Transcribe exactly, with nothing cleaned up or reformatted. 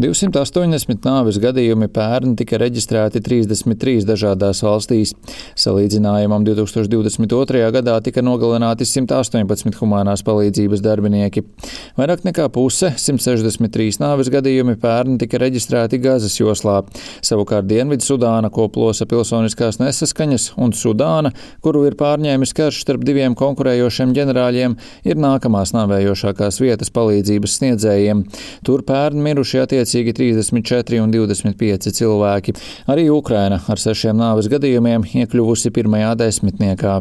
divsimt astoņdesmit nāves gadījumi pērn tika reģistrēti trīsdesmit trīs dažādās valstīs. Salīdzinājumam divtūkstoš divdesmit otrajā gadā tika nogalināti simt astoņpadsmit humānās palīdzības darbinieki. Vairāk nekā puse, simt sešdesmit trīs nāves gadījumi pērn tika reģistrēti Gazas joslā. Savukārt Dienvidu Sudāna, ko plosa pilsoniskās nesaskaņas, un Sudāna, kuru ir pārņēmis karš starp diviem konkurējošiem ģenerāļiem, ir nākamās nāvējošākās vietas palīdzības sniedzējiem. Tur pērn miruši attiecīgi trīsdesmit četri un divdesmit pieci cilvēki. Arī Ukraina ar sešiem nāves gadījumiem iekļuvusi pirmajā desmitniekā.